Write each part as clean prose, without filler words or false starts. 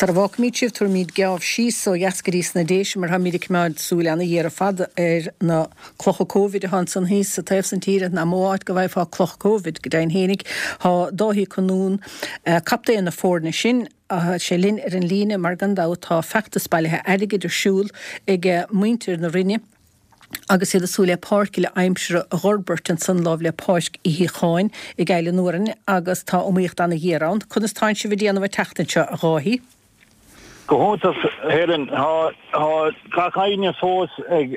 Sara bhfágfaimid sibh, tabharfaimid geábh síos ó dheas go dtí sna Déise mar táimid ag coimeád súil ana-ghéar ar fad ar na clocha Covid atá ansan thíos sa taobh san tíre. Nach mó áit go bhfaighfeá cloch Covid, go deimhin fhéinig. Tá Dáithí Ó Conúin, captaen na foirne sin, tá sé linn ar an líne mar gan dabht tá feachtas bailithe airgid ar siúl ag muintir na Rinne, agus iad ag súil le páirc uile aimsire a dh'fhorbairt ansan láimh le Páirc Uí Shíocháin i gCaill an Fhuarain agus tá iomaíocht ana-ghéar ann. Conas tánn sibh ag déanamh an tseachtain seo, a Dháithí? Go hiontach, Helen. Tá gach éinne fós ag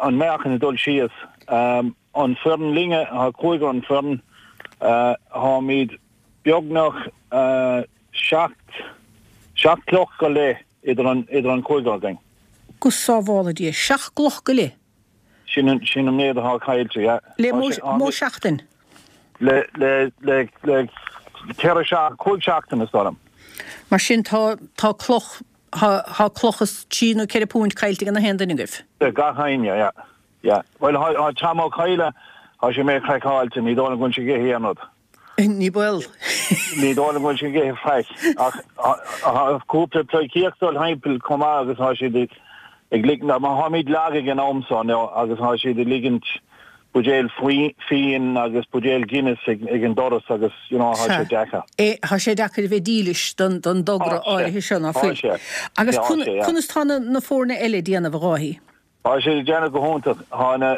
an meáchan ag dul síos. An foireann linne, tá cúigear an foireann, táimid beagnach 7 gcloch go leith idir an cúigear againn. Go sábhála Dia, 7 gcloch go leith? Sin an sin an méid atá caillte, yeah. Le mó seachtain? Le le le le 4 5 seachtaine is dóigh liom. Mar sin tá tá cloch tá tá cloch is trí nó ceithre púint caillte ag na haon duine agaibh? Ag gach éinne, yeah. Yeah. Bhuel tá Tom Ó Cadhla, tá sé méid craiceáilte, ní dóigh liom go bhfuil sé ag ithe aon rud. Ní baol. Ní dóigh liom go bhfuil sé ag ithe faic. Ach tá cúpla pleidhcíocht dul thimpeall chomh maith agus tá siad ag ligint, mar táimid lag ag an am so now agus tá siad ag ligint buidéal fíon agus buidéal Guinness ag an doras agus you know tá sé deacair. Tá sé deacair a bheith dílis don dtogra áirithe seo, ná fuil? Agus conas tá na foirne eile ag déanamh, a Dháithí? Tá siad ag déanamh go hiontach. Tá na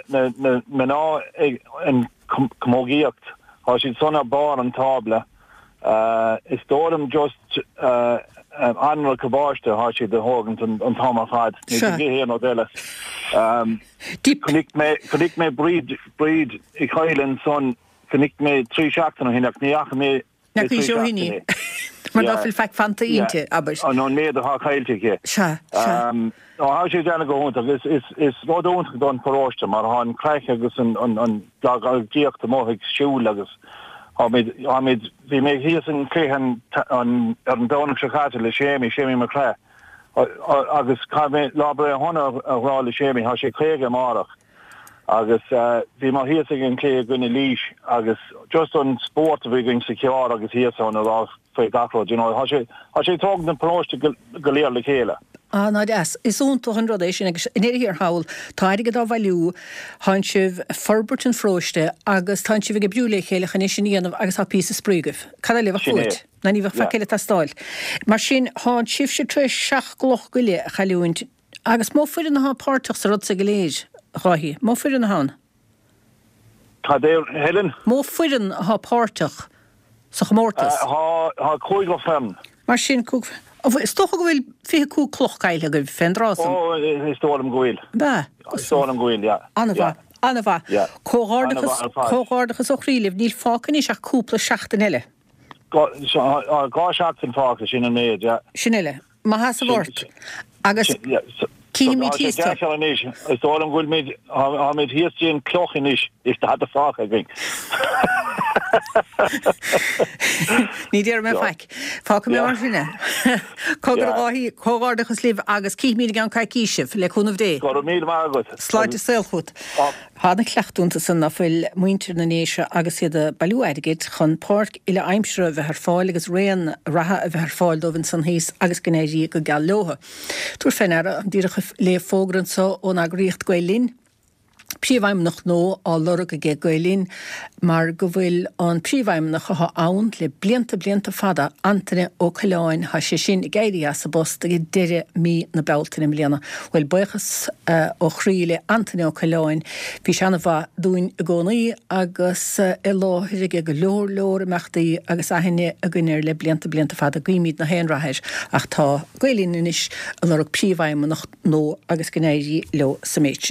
mná ag an camógaíocht, tá siad san ar barr an tábla. Is dóigh liom just anraith cabáiste atá siad a thógaint an t-am ar fad. Níl siad ag ithe aon rud eile. Chonaic mé, chonaic mé Bríd, Bríd Uí Chadhla ansan, chonaic mé 3 seachtain ó shin ach ní fhaca mé Na cuid ó shin í. Mar ná fuil faic fanta inti, abair. An méid atá caillte aici. Sea, sea. Nó tá sé ag déanamh go hiontach. Is rud iontach don pharóiste mar tá an craic agus an gcleachtaíocht amuigh ag siúl agus táimid, táimid, bhí mé thíos an cluiche ar an Domhnach seo caite le Séimí, Séimí Mac Craith, agus caithfidh mé lá breithe shona a rá le Séimí, tá sé 50 amárach. Agus bhí mé thíos ag an cluiche i gcoinne Laois agus just an spórt a bhí againn sa charr agus thíos ann a rá faoi gach rud, you know, tá sé, tá sé ag tógaint an paróiste go léir le chéile. Ah, ná deas. Is iontach an rud é sin agus i ndeireadh thiar thall, tá airgead á bhailiú, tánn sibh ag forbairt an pharóiste agus tánn sibh ag oibriú le chéile chun é sin a dhéanamh agus tá píosa spraoi agaibh. Cad eile a bheadh Sin é. uait? Ná ní bheadh faic Yeah. eile ag teastáil. Mar sin, tánn sibhse tar éis seacht gcloch go leith a chailliúint Agus mó foireann atá páirteach sa rud so go léir, a Dháithí? Mó foireann atá ann? Cad é, Helen? Mó foireann atá páirteach sa chomórtas? Tá cúigear foireann. Mar sin, is dócha go bhfuil 25 cloch caillte agaibh fén dtráth san? Ó, is dóigh liom go bhfuil. Ab ea? Is dóigh liom go bhfuil, yeah. An-mhaith, an-mhaith. Yeah. Comhghairdeachas, comhghairdeachas ó chroí libh. Níl fágtha anois ach cúpla seachtain eile. Dhá seachtain fágtha, sin an méid, yeah. Sin uile. Maith sheasamh ort agus cífimid thíos tú. Anois, is dóigh liom go bhfuilimid, táimid thíos dtí an cloch anois, is tada fágtha againn. Ní déarfaidh mé faic. Fágfaidh mé mar sin é. Cogar a Dháithí, comhghairdeachas libh agus cífimid i gceann coicíse sibh, le cúnamh Dé. Go raibh míle maith agat. Sláinte is saol chugat. Tá ana-chleachtadh iontu san ná fuil muintir na nDéise agus iad ag bailiú airgid chun páirc uile aimsire a bheith ar fáil agus raon reatha a bheith ar fáil dóibh ansan thíos agus go n-éirí go geal leotha. Tabhair fé ndeara, táim díreach ag léamh fógra anso ón eagraíocht Gael Linn, Príomhfheidhmeannach nua á lorg aige Gael Linn mar go bhfuil an Príomhfheidhmeannach athá ann le blianta blianta fada, Antaine Ó Coileáin, thá sé sin ag éirí as an bpost ag deireadh mí na Bealtaine i mbliana. Bhuel, buíochas ó chroí le Antaine Ó Coileáin, bhí sé ana-mhaith dúinn i gcónaí agus i láthair aige go leor leor imeachtaí agus aithne againn air le blianta blianta fada. Guímid na haon rath air ach tá Gael Linn anois ag lorg Príomhfheidhmeannach nua agus go n-éirí leo sa méid sin.